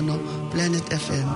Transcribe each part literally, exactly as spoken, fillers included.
Planet F M.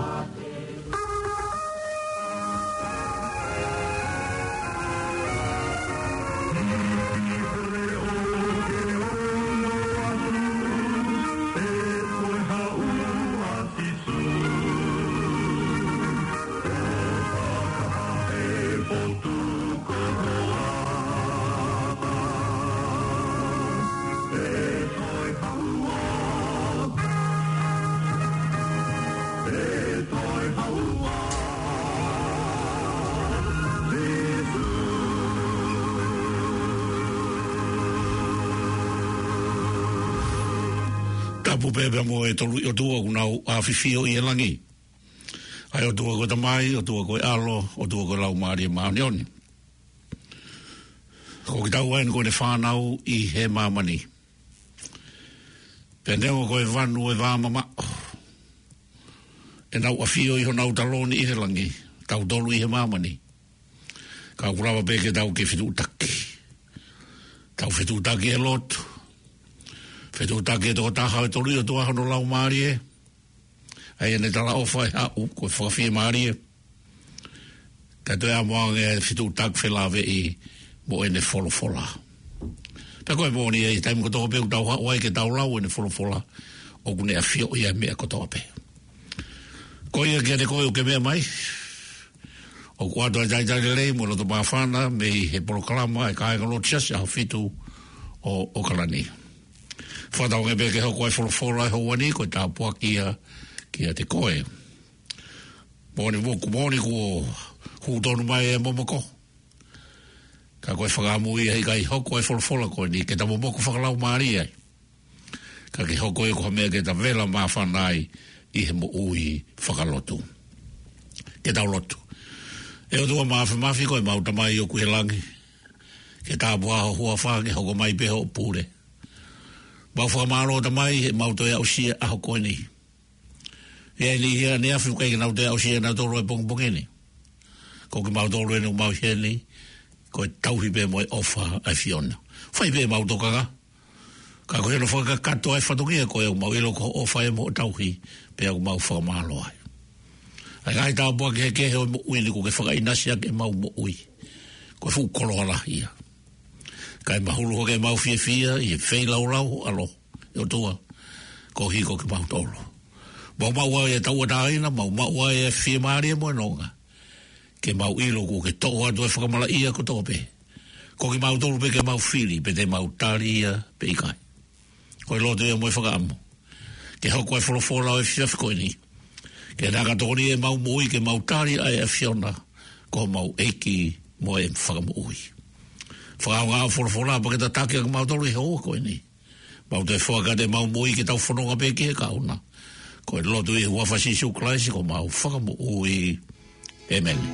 Tapu pē pea mo e tolu ʻi ʻOtua ʻoku nau ʻafifio ʻi he langi. ʻA e ʻOtua ko e Tamai, ʻOtua ko e ʻAlo, ʻOtua ko e Laumālie Māʻoniʻoni. Ko kitaua eni ko ʻene fānau ʻi he māmani. Pea neongo ko e vanu ʻe vā mamaʻo, ʻenau ʻafio ʻi honau taloni ʻi he langi, tautolu ʻi he māmani. Ka ʻoku lava pē ke tau ke fetuʻutaki. Tau fetuʻutaki he lotu. Fetuʻutaki he tokotaha ʻo e tolu ʻi ʻOtua hono Laumālie. ʻA ia ʻene talaʻofa ʻe haʻu, ko e fakafiemālie. Ka toe ʻamu ange e fetuʻutaki felāveʻi mo ʻene folofola. Pea ko e moʻoni ʻi he taimi kotoa pē ʻoku tau haʻu ai ke tau lau ʻene folofola, ʻoku ne ʻafioʻi ʻa e meʻa kotoa pē. Ko ia kiate koe ʻoku ke meʻa mai, ʻoku ʻoatu ʻa e talitali lelei mo e loto māfana mei he polokalama ʻa e kāinga Lotu Siasi ʻAhofitu ʻo ʻAokalani. Fakatauange pē ke hoko ʻa e folofola he houa ni ko e tāpuaki ia kiate koe. Moʻoni, moʻoni kuo hū tonu mai e momoko. Ka ko e fakaʻamu ia he ʻikai hoko ʻa e folofola ko eni ke ta momoko fakalaumālie ai. Ka ke hoko ia ko ha meʻa ke ta vela māfana ai ʻi he moʻui fakalotu. Ke tau lotu. ʻE ʻOtua Māfimafi, ko ʻemau Tamai ʻoku ʻi he langi. Ke tāpuhā ho huafa, ke hoko mai pē hoʻo pule. Mau fakamālō Tamai he mau toe aʻusia ʻa e ʻaho ko eni. ʻI ai e niʻihi ʻaneafi ʻoku ʻikai ke nau toe aʻusia ʻe nautolu e pongipongi ni. Ko kimautolu eni ʻoku mau ʻi heni, ko e tauhi pē mo e ʻofa ʻa e ʻAfiona. Fai pē ʻemau tokanga. Ka ko hono fakakakato ʻa e fatongia ko ē ʻoku mau ʻilo ko hoʻo ʻofa ē mo hoʻo tauhi, pea ʻoku mau fakamālō ai. ʻA e ngaahi tāpuaki kehekehe ʻo e moʻui ni kuo ke fakaʻinasi ʻaki ʻemau moʻui. Ko e fuʻu koloa lahi ia. Kae mahulu hake ʻemau fiefia ʻi he feilaulau ho ʻAlo, ʻe ʻOtua, koeʻuhi ko kimautolu. Mau maʻu ai e tauʻatāina, mau maʻu ai e fiemālie mo e nonga. Ke mau ʻilo kuo ke toʻo atu e fakamalaʻia kotoa pē. Ko kimautolu pē ke mau fili pe te mau tali ia pe ʻikai. Ko e lotu ia mo e fakaʻamu ke hoko e folofola ʻo e efiafi ko eni. Ke naka tokoni ʻemau moʻui ke mau tali ʻa e ʻAfiona ko homau ʻEiki mo e Fakamoʻui. Fakaʻaongaʻi hoʻo folofola pea ke tataki ʻa kimautolu ʻi he houa ko eni. Mau toe foaki atu ʻemau moʻui ke tau fononga pē ki he kahaʻu na. Ko e lotu ʻi he huafa ʻo Sīsū Kalaisi ko homau Fakamoʻui. ʻĒmeni.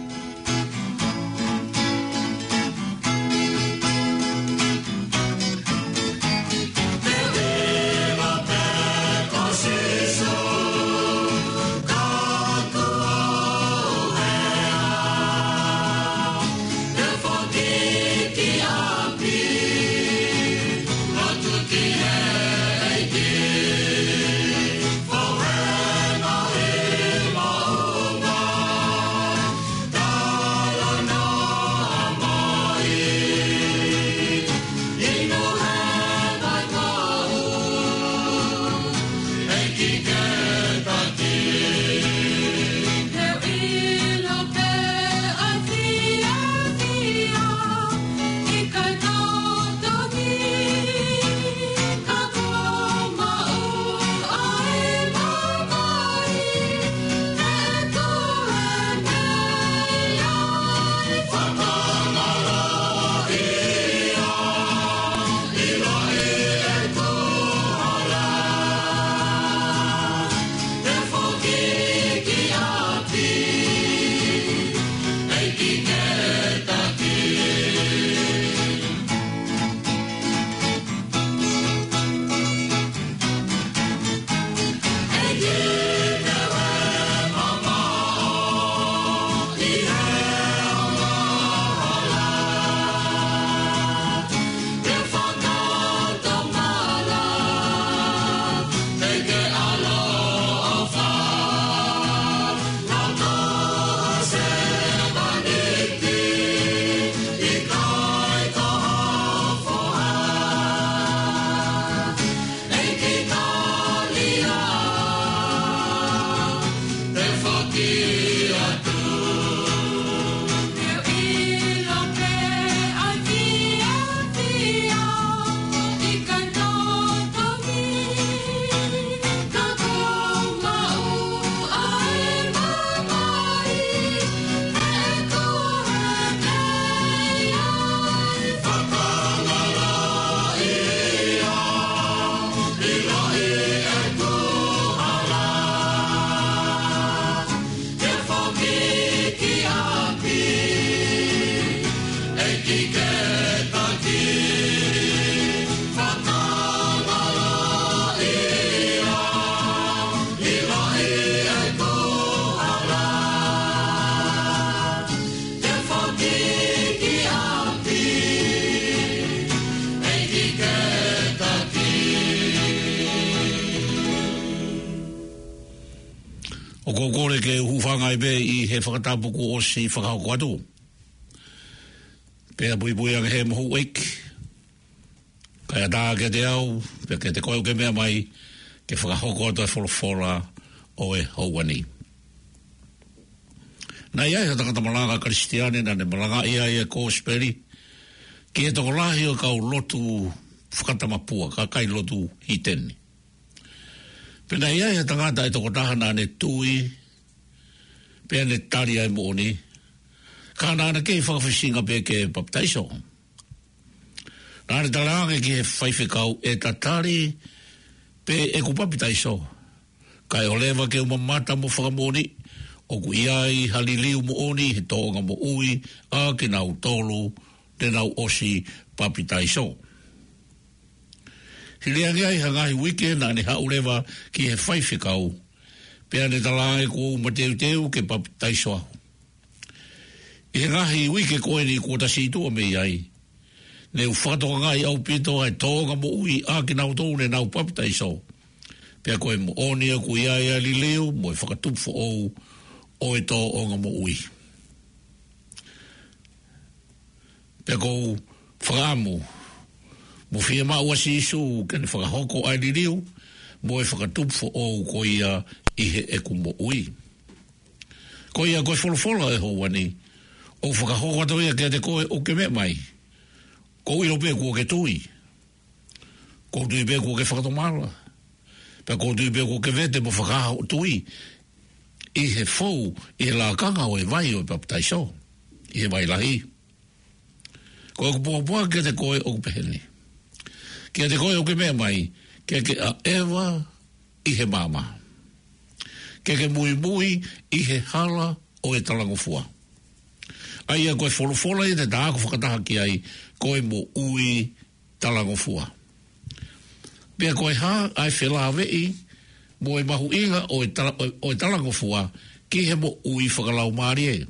ʻOku ou kole ke u hūfanga ai pē ʻi he fakatapu kuo ʻosi fakahoko atu. Pea puipui ange he mohu ʻeiki. Kae ʻatā kiate au, pea kiate koe ʻoku ke meʻa mai, ke fakahoko atu e folofola ʻo e houa ni. Naʻe ʻi ai ha tangata malanga Kalisitiane naʻa ne malangaʻi ai e kosipeli ki he tokolahi ʻo e kau lotu fakatamapua, kakai lotu hiteni. Pea naʻe ʻi ai ha tangata ʻe toko taha naʻa ne tui, pea ne tali ʻa e moʻoni, ka naʻa ne kei fakafisinga pē ke papitaiso. Naʻa ne talaange ki he faifekau, ʻE tatali pē ʻeku papitaiso, kae ʻoua leva ke u mamata mo fakamoʻoni ʻoku ʻi ai ha liliu moʻoni he tōʻonga moʻui ʻa kinautolu te nau ʻosi papitaiso. Hili ange ai ha ngaahi uike naʻa ne haʻu leva ki he faifekau, pea ne talaange, Kuo u mateuteu ke papitaiso au. ʻI he ngaahi uike ko eni kuo ta situʻa mei ai, ne u fakatokangaʻi ʻaupito ʻa e tōʻonga moʻui ʻa kinautolu ne nau papitaiso. Pea ko e moʻoni ʻoku ʻi ai ʻa e liliu mo e fakatupu foʻou ʻo e tōʻonga moʻui. Pea ʻoku ou fakaʻamu mo fiemaʻu ʻa Sīsū ke ne fakahoko ʻa e liliu mo e fakatupu foʻou ko ia ʻi heʻeku moʻui. Ko ia ko e folofola ʻo e houa ni, ʻoku fakahoko atu ia kiate koe ʻoku ke meʻa mai. ʻOku ou ʻilo pē kuo ke tui. ʻOku ou tui pē kuo ke fakatomala. Pea ʻoku ou tui pē kuo ke vete mo fakahā hoʻo tui ʻi he fou, ʻi he lakanga ʻo e vai ʻo e papitaiso, ʻi he vai lahi. Ko ʻeku pōpoaki kiate koe ʻoku pehē ni. Kiate koe ʻoku ke meʻa mai, ke ke ʻaʻeva ʻi he maama. Ke ke muimui ʻi he hala ʻo e talangofua. ʻA ia ko e folofola ia te ta ako fakataha ki ai, ko e moʻui talangofua. Pea ko e hā ʻa e felāveʻi mo e mahuʻinga ʻo e tala-, ʻo e, ʻo e talangofua ki he moʻui fakalaumālie.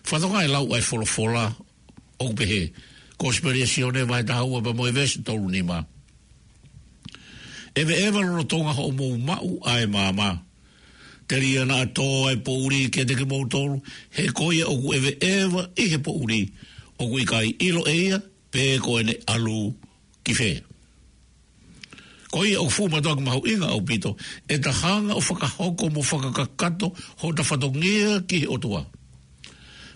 Fakatokangaʻi e lau ʻa e folofola ʻoku pehē, Kosipeli ʻa Sione vahe taha ua pea mo e veesi tolu nima. ʻEveʻeva lolotonga hoʻomou maʻu ʻa e maama. Telia naʻa tō ʻa e poʻuli kiate kimoutolu, he ko ia ʻoku ʻeveʻeva ʻi he poʻuli, ʻoku ʻikai ʻilo ʻe ia pe ko ʻene ʻalu ki fē. Ko ia ʻoku fuʻu mātuʻaki mahuʻinga ʻaupito ʻeta hanga ʻo fakahoko mo fakakakato hota fatongia ki he ʻOtua.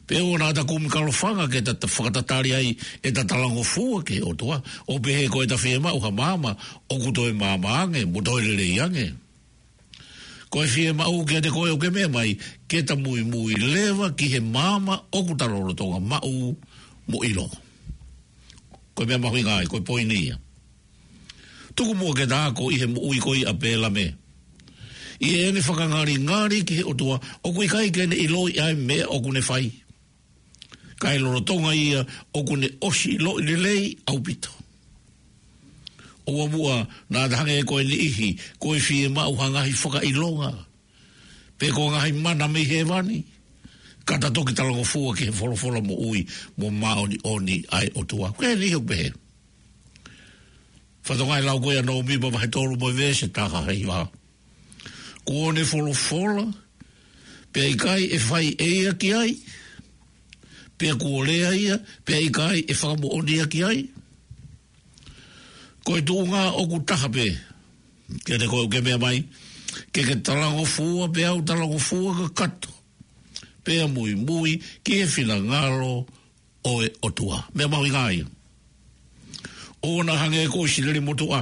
Pea ʻoua naʻa ta kumi kalofanga ke ta, ta fakatatali ai ʻeta talangofua ki he ʻOtua, ʻo pehē ko ʻeta fiemaʻu ha maama ʻoku toe maama ange mo toe lelei ange. Ko e fiemaʻu kiate koe ʻoku ke meʻa mai, ke ta muimui leva ki he maama ʻoku ta lolotonga maʻu mo ʻilo. Ko e meʻa mahuʻinga ia, ko e poini ia. Tuku muʻa ke ta ako ʻi he moʻui ko ia ʻa Pēlame. ʻI heʻene fakangalingali ki he ʻOtua, ʻoku ʻikai ke ne ʻiloʻi ʻa e meʻa ʻoku ne fai. Kae lolotonga ia ʻoku ne ʻosi ʻiloʻi lelei ʻaupito. ʻOua muʻa naʻa ta hangē ko e niʻihi, ko e fiemaʻu ha ngaahi fakaʻilonga pe ko e ngaahi mana mei hēvani, ka ta toki talangofua ki he folofola moʻui mo māʻoniʻoni ʻa e ʻOtua. Ko e niʻihi ʻoku pehē. Fakatokangaʻi e lau ko ia ʻa Nōmipa vahe tolu mo e veesi taha hiva. Kuo ne folofola, pea ʻikai ʻe fai ʻe ia ki ai, pea kuo lea ia, pea ʻikai ʻe fakamoʻoni ia ki ai. Ko e tuʻunga ʻoku taha pē, kiate koe ʻoku ke meʻa mai, ke ke talangofua, pea u talangofua kakato, pea muimui ki he finangalo ʻo e ʻOtua. Meʻa mahuʻinga ia. ʻOua naʻa hangē ko ʻIsileli motuʻa,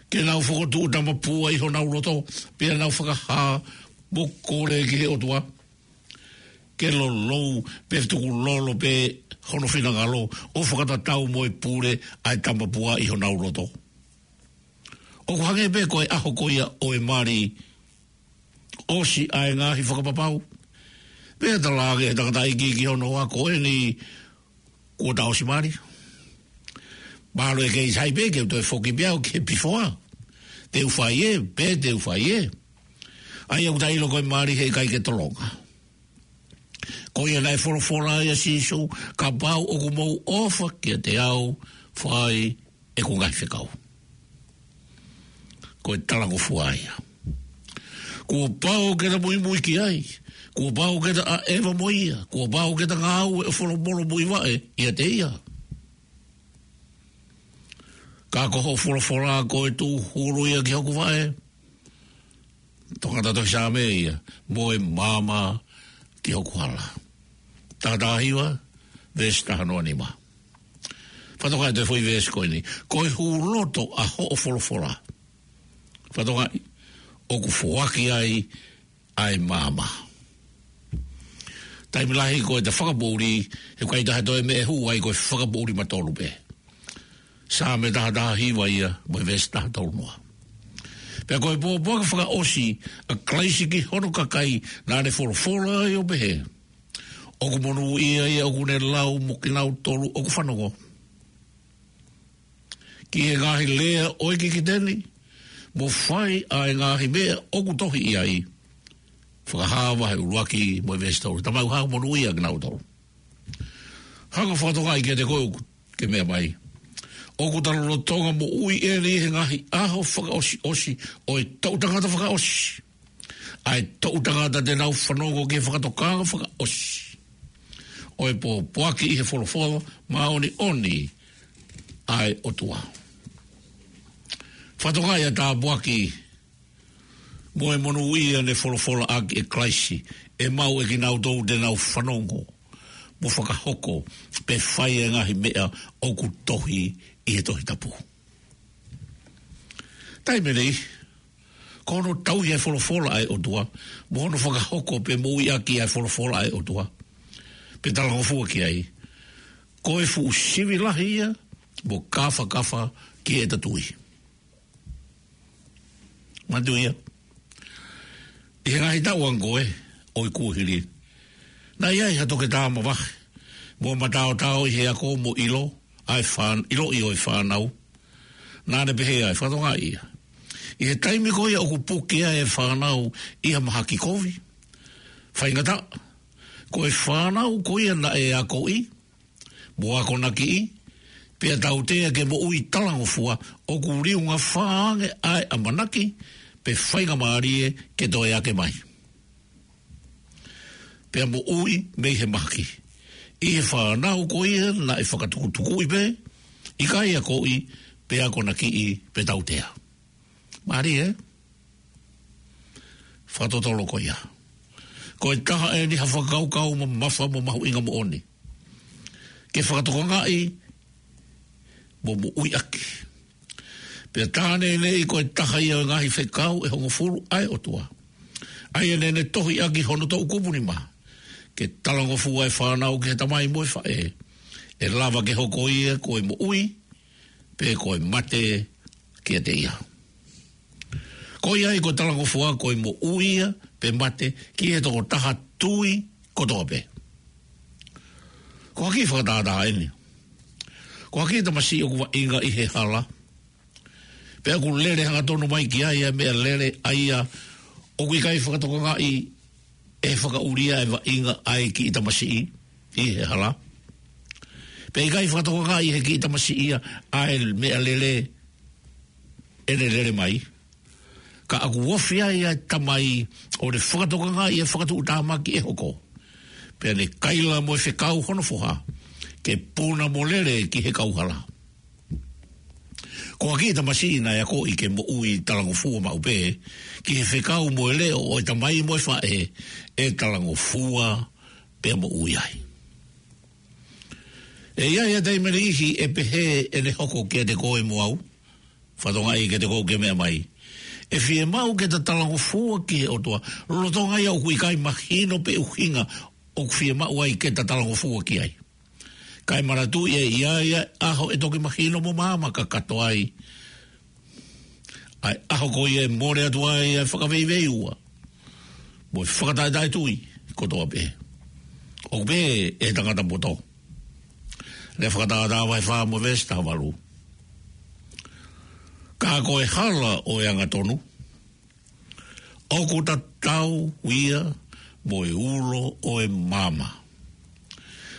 ke nau fokotuʻu tamapua ʻi honau loto, pea nau fakahā mo kole ki he ʻOtua ke lolou pe tukulolo pē hono finangalo, ʻo fakatatau mo e pule ʻa e tamapua ʻi honau loto. ʻOku hangē pē ko e ʻaho ko ia ʻo e mali, ʻosi ʻa e ngaahi fakapapau, pea talaange ʻe he tangataʻeiki ki hono hoa, Ko eni kuo ta ʻosi mali. Mahalo ʻe kei sai pē ke u toe foki pē au ki he pifoa. Te u fai ē, pe te u fai ē. ʻA ia ʻoku ta ʻilo ko e mali heʻikai ke tolonga. Ko ia naʻe folofola ai ʻa Sīsū, Kapau ʻoku mou ʻofa kiate au, fai ʻeku ngaahi fekau. Ko e talangofua ia. Kuo pau ke ta muimui ki ai. Kuo pau ke ta ʻaʻeva mo ia. Kuo pau ke ta ngāue ʻo folofola muivaʻe ʻiate ia. Ka ko hoʻo folofola ko e tūhulu ia ki hoku vaʻe, tokanga tohi Saame ia, mo e maama ki hoku hala. Taha taha hiva, veesi taha noa nima. Fakatokangaʻi e foʻi veesi ko eni. Ko e hūloto ʻa hoʻo folofola, fakatokangaʻi, ʻoku foaki ai ʻa e maama. Taimi lahi ko ʻeta fakapoʻuli, he ʻikai toe ha toe meʻa ʻe hū ai, ko e fakapoʻuli matolu pē. Saame taha taha hiva ia, mo e veesi taha tolu noa. Pea ko e pōpoaki fakaʻosi ʻa Kalaisi ki hono kakai, naʻa ne folofola ai ʻo pehē: ʻOku monūʻia ia ʻoku ne lau mo kinautolu ʻoku fanongo ki he ngaahi lea ʻo e kikite ni, mo fai ʻa e ngaahi meʻa ʻoku tohi ʻi ai. Fakahā vahe ʻuluaki mo e veesi tolu. Tamai, ʻoku monūʻia kinautolu. Hanga ʻo fakatokangaʻi kiate koe ʻoku ke meʻa mai, ʻoku ta lolotonga moʻui ʻeni he ngaahi ʻaho fakaʻosiʻosi ʻo e toʻu tangata fakaʻosi, ʻa e toʻu tangata te nau fanongo ki he fakatokanga fakaʻosi ʻo e pōpoaki ʻi he folofola māʻoniʻoni ʻa e ʻOtua. Fakatokangaʻi ʻa e tāpuaki mo e monūʻia ne folofola ʻaki ʻe Kalaisi, ʻe maʻu ʻe kinautolu te nau fanongo mo fakahoko pe fai e ngaahi meʻa ʻoku tohi ʻi he Tohi Tapu. Taimi ni, ko hono tauhi ʻa e folofola ʻa e ʻOtua, mo hono fakahoko pe moʻui ʻaki ʻa e folofola ʻa e ʻOtua, pe talangofua ki ai, ko e fuʻu sivi lahi ia mo kāfakafa ki heʻeta tui. Manatuʻi ia, ʻi he ngaahi taʻu ange ko ē ʻo e kuohili, naʻe ʻi ai ha toketā mavahe mo mataotao ʻi he ako mo ʻilo ʻa e fān-, ʻiloʻi ʻo e fānau. Naʻa ne pehē ai, fakatokangaʻi ia, ʻi he taimi ko ia ʻoku puke ai e fānau ʻi ha mahaki kovi, faingataʻa, ko e fānau ko ia naʻe akoʻi mo akonakiʻi, pea tautea ke moʻui talangofua, ʻoku liunga fā ange ʻa e ʻamanaki pe faingamālie ke toe ake mai pea moʻui mei he mahaki, ʻi he fānau ko ia naʻe fakatukutukuʻi pē, ʻikai akoʻi, pe akonakiʻi, pe tautea. Mālie, ē? Fakatotolo ko ia. Ko e taha ʻeni ha fakakaukau mamafa mo mahuʻinga moʻoni ke fakatokangaʻi mo moʻui ʻaki. Pea tā neʻineʻi ko e taha ia ʻo e ngaahi fekau ʻe hongofulu ʻa e ʻOtua, ʻa ia naʻa ne tohi ʻaki hono toʻukupu nima, ke talangofua e fānau ki he tamai mo e faʻē, ʻe lava ke hoko ia ko e moʻui, pe ko e mate kiate ia. Ko ia ai ko e talangofua ko e moʻui ia pe mate ki he tokotaha tui kotoa pē. Ko ha kiʻi fakatātā ʻeni. Ko ha kiʻi tamasiʻi ʻoku vaʻinga ʻi he hala, pea ʻoku lele hangatonu mai ki ai ʻa e meʻalele, ʻa ia ʻoku ʻikai fakatokangaʻi ʻe he fakaʻuli ʻa e vaʻinga ʻa e kiʻi tamasiʻi ʻi he hala, pea ʻikai fakatokangaʻi ʻe he kiʻi tamasiʻi ia ʻa e meʻalele ʻene lele mai. Ka ʻoku ofi ai ʻa e tamai ʻo ne fakatokangaʻi ʻa e fakatuʻutāmaki ʻe hoko, pea ne kaila mo e fekau hono foha ke puna mo lele ki he kauhala. Ko ha kiʻi tamasiʻi naʻe akoʻi ke moʻui talangofua maʻu pē ki he fekau mo e leʻo ʻo e tamai mo e faʻē, ʻe talangofua pea moʻui ai. ʻE ʻi ai ʻa e taimi ʻe niʻihi ʻe pehē ʻene hoko kiate koe mo au, fakatokangaʻi kiate koe ʻoku ke meʻa mai, ʻe fiemaʻu ke ta talangofua ki he ʻOtua, lolotonga ia ʻoku ʻikai mahino pe ʻuhinga ʻoku fiemaʻu ai ke ta talangofua ki ai. Kae manatuʻi ʻe ʻi ai ʻa e ʻaho ʻe toki mahino mo maama kakato ai, ʻa e ʻaho ko ia ʻe mole atu ai ʻa e fakaveiveiveiua mo e fakataʻetaʻetui kotoa pē, ʻoku pehē ʻe he tangata poto. Lea Fakatātā vahe fā mo e veesi taha valu: Ka ko e hala ʻo e angatonu ʻoku tatau ia mo e ulo ʻo e maama,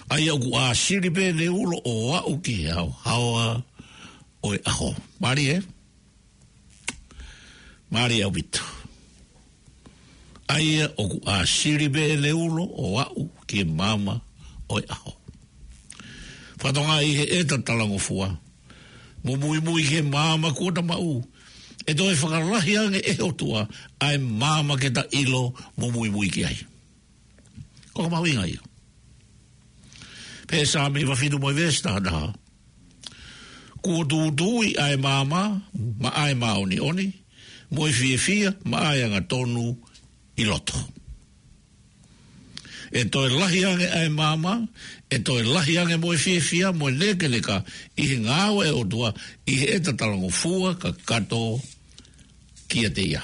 ʻa ia ʻoku ʻāsili pē ʻene ulo ʻo aʻu ki he haohaoa ʻo e ʻaho. Mālie, ē? Mālie ʻaupito. ʻA ia ʻoku ʻāsili pē ʻene ulo ʻo aʻu ki he maama ʻo e ʻaho. Fakatokangaʻi ʻi heʻeta talangofua mo muimui ki he maama kuo ta maʻu, ʻe toe fakalahi ange ʻe he ʻOtua ʻa e maama ke ta ʻilo mo muimui ki ai. Ko e mahuʻinga ia. Pea Saame hiva fitu mo e veesi taha taha: Kuo tūtuuʻi ʻa e maama maʻa e māʻoniʻoni, mo e fiefia maʻa e angatonu ʻi loto. ʻE toe lahi ange ʻa e maama, ʻe toe lahi ange mo e fiefia mo e nēkeneka ʻi he ngāue ʻa e ʻOtua ʻi heʻeta talangofua kakato kiate ia.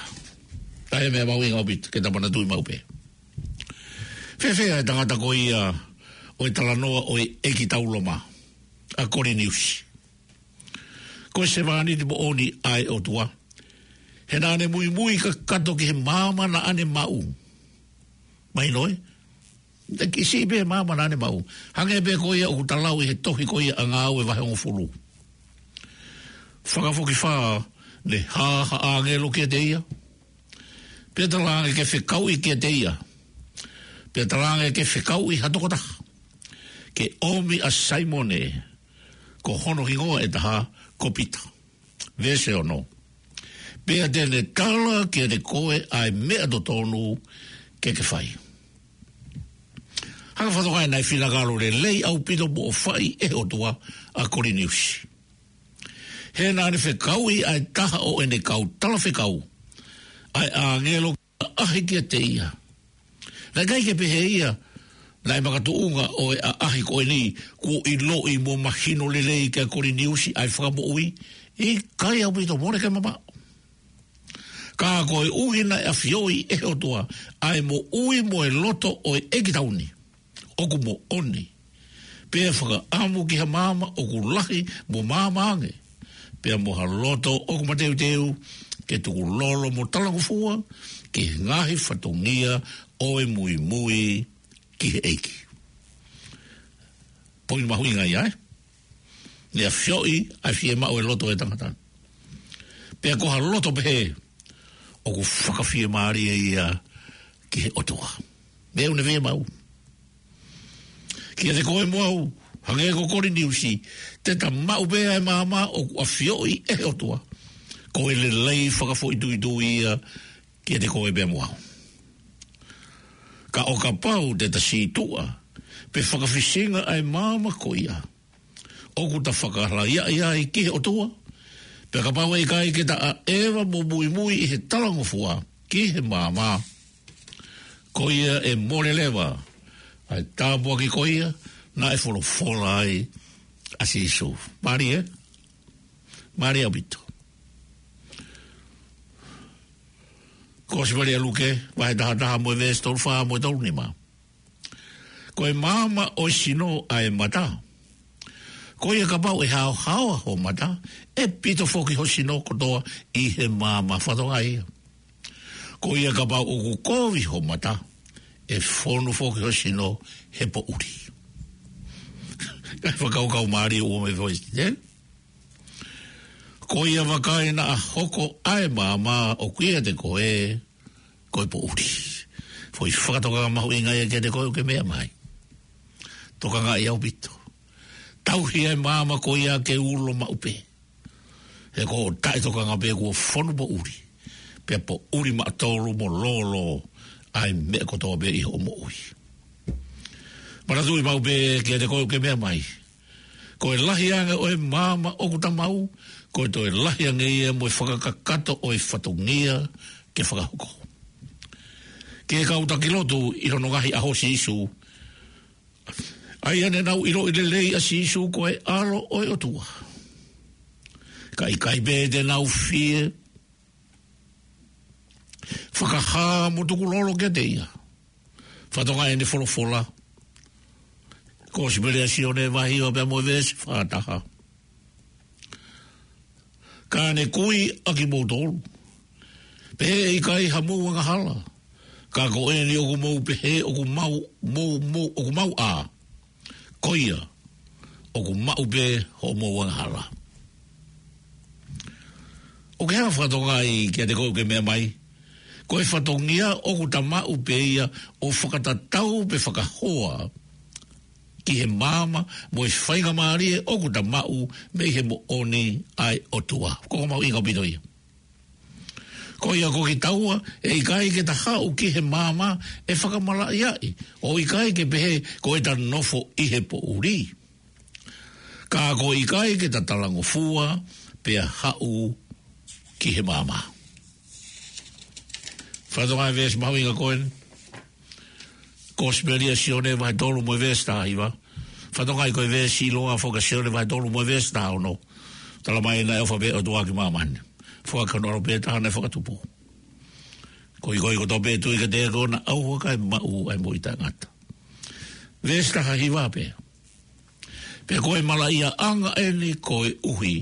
Ko e meʻa mahuʻinga ʻaupito ke ta manatuʻi maʻu pē. Fēfē ʻa e tangata ko ia ʻo e talanoa ʻo e ʻeikitau Loma, ʻa Koliniusi? Ko e sevāniti moʻoni ʻa e ʻOtua, he naʻa ne muimui kakato ki he maama naʻa ne maʻu. Mahino ē? Naʻe kiʻi siʻi pē maama naʻa ne maʻu. Hangē pē ko ia ʻoku ta lau ʻi he tohi ko ia ʻa Ngāue vahe hongofulu. Fakafokifā, ne hā ha ʻāngelo kiate ia, pea talaange ke fekauʻi kiate ia, pea talaange ke fekauʻi ha tokotaha ke ʻomi ʻa Saimone, ko hono hingoa ʻe taha ko Pita. Veesi ono: Pea te ne tala kiate koe ʻa e meʻa totonu ke ke fai. Hanga fakatokangaʻi naʻe finangalo lelei ʻaupito mo ʻofaʻi ʻe he ʻOtua ʻa Koliniusi, he naʻa ne fekauʻi ʻa e taha ʻo ʻene kau talafekau, ʻa e ʻāngelo, ke ʻaʻahi kiate ia. Naʻe ʻikai ke pehē ia naʻe makatuʻunga ʻa e ʻaʻahi ko eni kuo ʻiloʻi mo mahino lelei kia Koliniusi ʻa e Fakamoʻui? ʻIkai, ʻaupito, mole ke mamaʻo. Ka koeʻuhi naʻe ʻafioʻi ʻe he ʻOtua ʻa e moʻui mo e loto ʻo e ʻeikitau ni ʻoku moʻoni, pea fakaʻamu ki ha maama ʻoku lahi mo maama ange, pea mo ha loto ʻoku mateuteu ke tukulolo mo talangofua ki he ngaahi fatongia ʻo e muimui ki he ʻEiki. Poini mahuʻinga ia, ē? Ne ʻafioʻi ʻa e fiemaʻu ʻa e loto ʻo e tangata. Pea ko ha loto pehē ʻoku fakafiemālie ia ki he ʻOtua. Meʻa ʻoku ne fiemaʻu kiate koe mo au, hangē ko Koliniusi, te ta maʻu pē ʻa e maama ʻoku ʻafioʻi ʻe he ʻOtua ko e lelei fakafoʻituitui ia kiate koe pea mo au. Ka ʻo kapau te ta sītuʻa pe fakafisinga ʻa e maama ko ia ʻoku ta fakalaiaʻi ai ki he ʻOtua, pea kapau ʻe ʻikai ke ta ʻaʻeva mo muimui ʻi he talangofua ki he maama, ko ia ʻe mole leva ʻa e tāpuaki ko ia naʻe folofola ai ʻa Sīsū. Mālie, ē? Mālie ʻaupito. Kosipeli ʻa Luke, vahe taha taha mo e veesi tolu fā mo e tolu nima. Ko e maama ʻo e sino ʻa e mata. Ko ia kapau ʻe haohaoa ho mata, ʻe pito foki ho sino kotoa ʻi he maama. Fakatokangaʻi ia. Ko ia kapau ʻoku kovi ho mata, ʻe fonu foki ho sino he poʻuli. Kae fakakaukau mālie ʻoku mei foʻi, ē? Ko ia vakai naʻa hoko ʻa e maama ʻoku ʻiate koe ko e poʻuli. Foʻi fakatokanga mahuʻinga ia kiate koe ʻoku ke meʻa mai. Tokangaʻi ʻaupito. Tauhi ʻa e maama ko ia ke ulo maʻu pē. He ko hoʻo taʻetokanga pē kuo fonu poʻuli, pea poʻuli maʻatolu mo lōlō ʻa e meʻa kotoa pē ʻi hoʻo moʻui. Manatuʻi maʻu pē kiate koe ʻoku ke meʻa mai. Ko e lahi ange ʻo e maama ʻoku ta maʻu, ko e toe lahi ange ia mo e fakakakato ʻo e fatongia ke fakahoko. Ki he kau taki lotu ʻi hono ngaahi ʻaho ʻo Sīsū, ʻa ia ne nau ʻiloʻi lelei ʻa Sīsū ko e ʻAlo ʻo e ʻOtua, ka ʻikai pē te nau fie fakahā mo tukulolo kiate ia. Fakatokangaʻi ʻene folofola. Kosipeli ʻa Sione vahe hiva pea mo e veesi fā taha. Ka ne kui ʻa kimoutolu, pehē ʻe ʻikai hamou angahala, ka ko eni ʻoku mou pehē ʻoku mau, mou, mou, ʻoku mau ʻā, ko ia ʻoku maʻu pē hoʻomou angahala. ʻOku ke hanga fakatokangaʻi kiate koe ʻoku ke meʻa mai, Ko e fatongia ʻoku ta maʻu pē ia ʻo fakatatau pe fakahoa ki he maama mo e faingamālie ʻoku ta maʻu mei he moʻoni ʻa e ʻOtua. Ko e mahuʻinga ʻaupito ia. Ko ia ko kitaua, ʻe ʻikai ke ta haʻu ki he maama ʻe fakamalaʻiaʻi, ʻo ʻikai ke pehē ko ʻeta nofo ʻi he poʻuli. Ka ko e ʻikai ke ta talangofua pea haʻu ki he maama. Fakatokangaʻi e veesi mahuʻinga ko eni. Kosipeli ʻa Sione vahe tolu mo e veesi taha hiva. Fakatokangaʻi ko e veesi ʻiloa foki ʻa Sione vahe tolu mo e veesi taha ono. Talamai naʻe ʻofa pē ʻOtua ki māmani. Foaki hono ʻAlo pē taha naʻe fakatupu, koeʻuhi ko ia kotoa pē ʻe tui kiate ia ʻoku ʻikai ʻaupito maʻu ʻa e moʻui taʻengata. Veesi taha hiva pē. Pea ko e malaʻiaʻanga eni koeʻuhi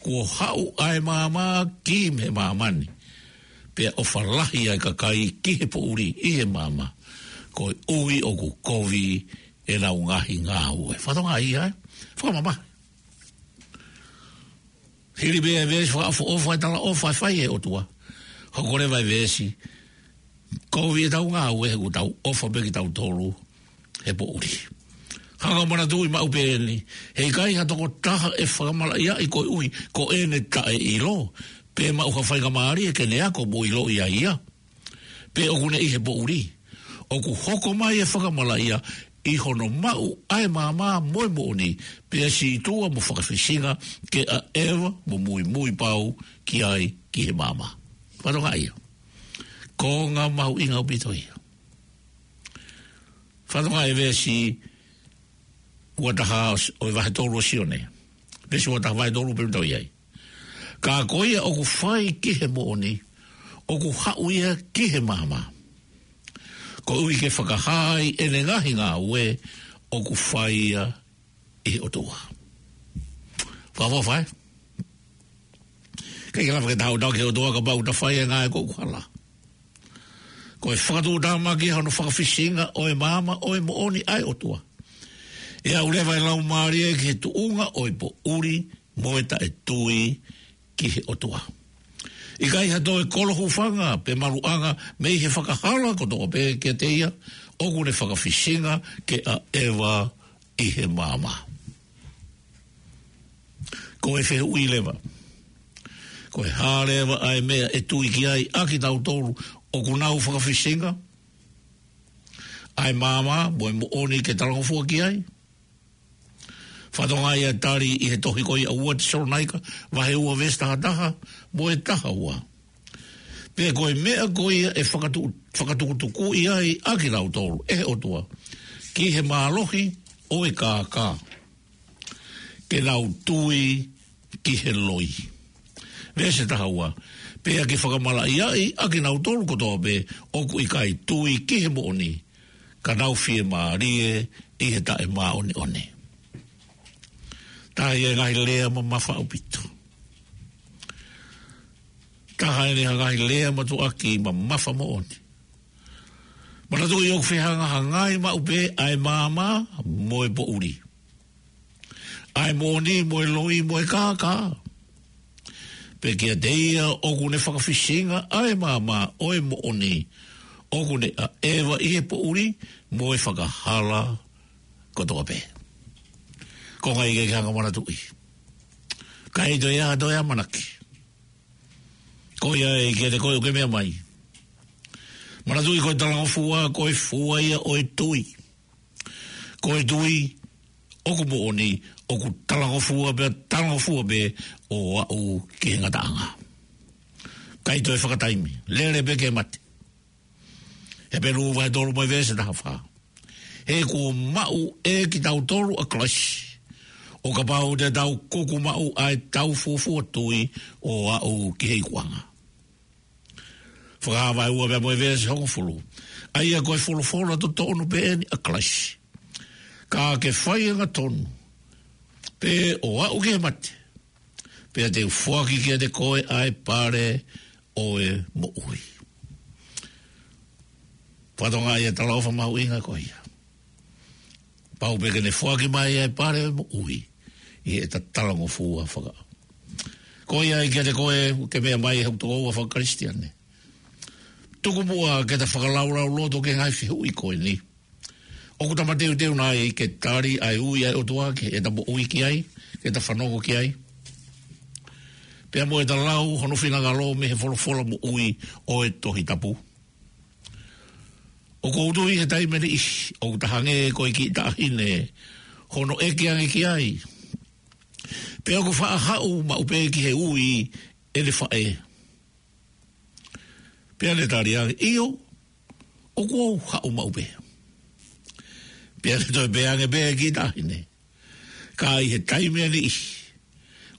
kuo haʻu ʻa e maama ki he māmani, pea ʻofa lahi ʻa e kakai ki he poʻuli ʻi he maama, koeʻuhi ʻoku kovi ʻenau ngaahi ngāue. Fakatokangaʻi ia, ē? Fakamamahi. Hili pē ʻa e veesi fakaʻofoʻofa ʻa e talaʻofa ʻe fai ʻe he ʻOtua, hoko leva ʻa e veesi, kovi ʻetau ngāue he ʻoku tau ʻofa pē kitautolu he poʻuli. Hanga ʻo manatuʻi maʻu pē eni, he ʻikai ha tokotaha ʻe fakamalaʻiaʻi koeʻuhi ko ʻene taʻeʻilo, pe maʻu ha faingamālie ke ne ako mo ʻiloʻi ʻa ia, pe ʻoku ne ʻi he poʻuli. ʻOku hoko mai e fakamalaʻia ʻi hono maʻu ʻa e maama mo e moʻoni, pea sītuʻa mo fakafisinga ke ʻaʻeva mo muimui pau ki ai ki he maama. Fakatokangaʻi ia. Konga mahuʻinga ʻaupito ia. Fakatokangaʻi e veesi ua taha ʻo e vahe tolu ʻo Sione. Veesi ua taha vahe tolu pea tau ʻi ai. Ka ko ia ʻoku fai ki he moʻoni, ʻoku haʻu ia ki he maama, koeʻuhi ke fakahā ai ʻene ngaahi ngāue ʻoku fai ia ʻi he ʻOtua. Fakaʻofoʻofa, ē? ʻIkai ke lava ke ta haʻu ʻo tauhi e ʻOtua kapau ʻoku ta fai e ngāue ʻoku hala. Ko e fakatuʻutāmaki ia hono fakafisinga ʻo e maama ʻo e moʻoni ʻa e ʻOtua. ʻE aʻu leva e laumālie ki he tuʻunga ʻo e poʻuli mo e taʻetui ki he ʻOtua. ʻIkai ha toe kolo hūfanga pe maluʻanga mei he fakahala kotoa pē kiate ia ʻoku ne fakafisinga ke ʻaʻeva ʻi he maama. Ko e fehuʻi leva, ko e hā leva ʻa e meʻa ʻe tui ki ai ʻa kitautolu ʻoku nau fakafisinga ʻa e maama mo e moʻoni ke talangofua ki ai? Fakatokangaʻi ʻa e tali ʻi he tohi ko ia ua Tesalonaika vahe ua veesi taha taha mo e taha ua. Pea ko e meʻa ko ia ʻe fakatu-, fakatukutukuʻi ai ʻa kinautolu ʻe he ʻOtua ki he mālohi ʻo e kākā, ke nau tui ki he loi. Veesi taha ua. Pea ke fakamalaʻiaʻi ʻa kinautolu kotoa pē ʻoku ʻikai tui ki he moʻoni, ka nau fiemālie ʻi he taʻemāʻoniʻoni. Taha ia e ngaahi lea mamafa ʻaupito. Taha eni ha ngaahi lea mātuʻaki mamafa moʻoni. Manatuʻi ʻoku fehangahangai maʻu pē ʻa e maama mo e poʻuli, ʻa e moʻoni mo e loi mo e kākā. Pea kiate ia ʻoku ne fakafisinga ʻa e maama ʻo e moʻoni, ʻoku ne ʻaʻeva ʻi he poʻuli mo e fakahala kotoa pē. Ko e ngaahi ke hanga ʻo manatuʻi. ʻIkai toe ʻi ai ha toe ʻamanaki. Ko ia ē kiate koe ʻoku ke meʻa mai. Manatuʻi ko e talangofua, ko e fua ia ʻo e tui. Ko e tui ʻoku moʻoni, ʻoku talangofua pē, talangofua pē ʻo aʻu ki he ngataʻanga. ʻIkai toe fakataimi, lele pē ke mate. Hepelū vahe tolu mo e veesi taha fā. He kuo maʻu ʻe kitautolu ʻa Kalaisi, ʻo kapau te tau kuku maʻu ʻa e tau fuofua tui ʻo aʻu ki he ikuʻanga. Fakahā vahe ua pea mo e veesi hongofulu. ʻA ia ko e folofola totonu pē eni ʻa Kalaisi. Ka ke fai angatonu pē ʻo aʻu ki he mate, pea te u foaki kiate koe ʻa e pale ʻo e moʻui. Fakatokangaʻi e talaʻofa mahuʻinga ko ia. Pau pē ke ne foaki mai ʻa e pale ʻo e moʻui ʻi heʻeta talangofua fakaʻau. Ko ia ē kiate koe ʻoku ke meʻa mai he ʻoku tokoua faka-Kalisitiane. Tuku muʻa ke ta fakalaulauloto ki he ngaahi fehuʻi ko eni. ʻOku ta mateuteu nai ke tali ʻa e ui ʻa e ʻOtua ki heʻeta moʻui ki ai, ke ta fanongo ki ai? Pea mo ʻeta lau hono finangalo mei he folofola moʻui ʻo e Tohi Tapu? ʻOku ou tui he taimi ʻe niʻihi ʻoku ta hangē ko e kiʻi taʻahine hono ʻeke ange ki ai pe ʻoku faʻa haʻu maʻu pē ki he ui ʻene faʻē. Pea ne tali ange, ʻio, ʻoku ou haʻu maʻu pē. Pea ne toe pehē ange pē e kiʻi taʻahine, ka ʻi he taimi ʻe niʻihi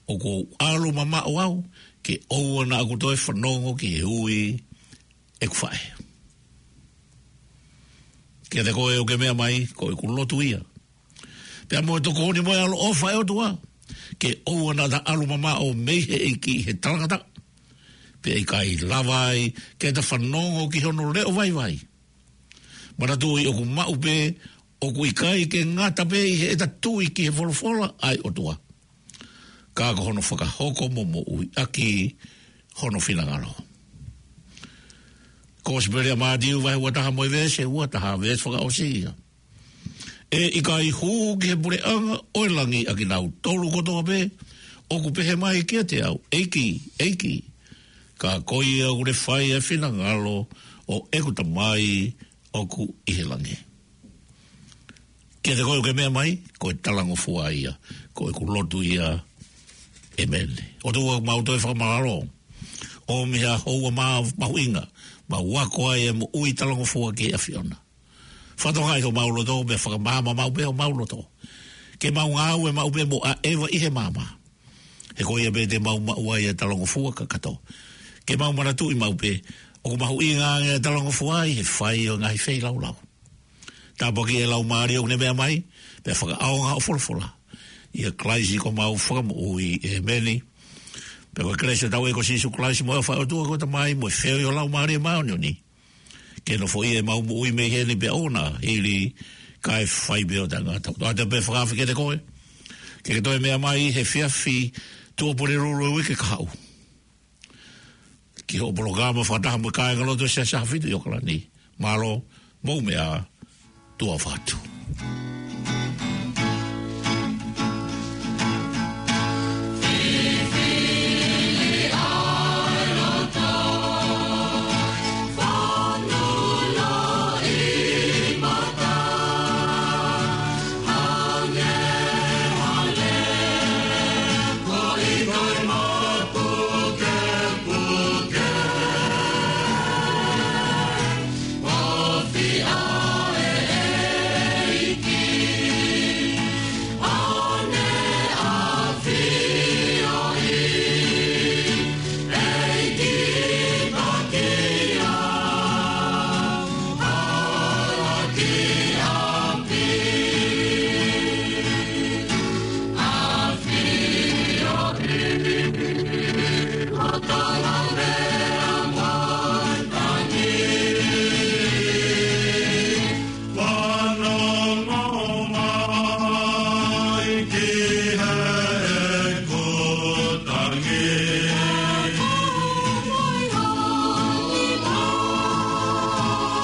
ʻoku ou ʻalu mamaʻo au ke ʻoua naʻa ku toe fanongo ki he ui ʻeku faʻē. Kiate koe ʻoku ke meʻa mai, ko ʻeku lotu ia, pea mo e tokoni mo e ʻaloʻofa ʻa e ʻOtua, ke ʻoua naʻa ta ʻalu mamaʻo mei he ʻEiki he talangataʻa, pea ʻikai lava ai ke ta fanongo ki hono leʻo vaivai. Manatuʻi ʻoku maʻu pē, ʻoku ʻikai ke ngata pē ʻi heʻeta tui ki he folofola ʻa e ʻOtua, ka ko hono fakahoko mo moʻui ʻaki hono finangalo. Kosipeli ʻa Mātiu vahe ua taha mo e veesi ua taha, veesi fakaʻosi ia. ʻE ʻikai hū ki he puleʻanga ʻo e langi ʻa kinautolu kotoa pē ʻoku pehē mai kiate au, ʻEiki, ʻEiki, ka ko ia ʻoku ne fai ʻa e finangalo ʻo ʻeku Tamai ʻoku ʻi he langi. Kiate koe ʻoku ke meʻa mai, ko e talangofua ia, ko ʻeku lotu ia, ʻēmeni. ʻOtua, mau toe fakamālō ʻo mei ha houa mā-, mahuʻinga, mau ako ai e moʻui talangofua ki he ʻAfiona. Fakatokangaʻi homau loto, pea fakamaama maʻu pē homau loto, ke mau ngāue maʻu pē mo ʻaʻeva ʻi he maama. He ko ia pē te mau maʻu ai e talangofua kakato. Ke mau manatuʻi maʻu pē ʻoku mahuʻinga ange e talangofua ʻi he fai ʻo e ngaahi feilaulau. Tāpuakiʻi e laumālie ʻoku ne meʻa mai, pea fakaʻaonga hoʻo folofola. ʻIa Kalaisi ko homau Fakamoʻui, ʻēmeni. Pea ko e kelesi ʻa hotau ʻEiki ko Sīsū Kalaisi, mo e ʻofa ʻa e ʻOtua ko e Tamai, mo e feohi ʻo e Laumālie Māʻoniʻoni, ke nofoʻia ʻemau moʻui mei heni pea ʻo aʻu ki he ʻaho ʻe fai pē ʻo taʻengata. ʻOatu pē e fakaafe kiate koe ke ke toe meʻa mai he efiafi Tuʻapulelulu ʻo e uike kahaʻu ki hoʻo polokalama fakataha mo e kāingalotu ʻo e Siasi ʻAhofitu ʻi ʻAokalani. Mālō, mou meʻa ā, tuʻa ʻofa atu.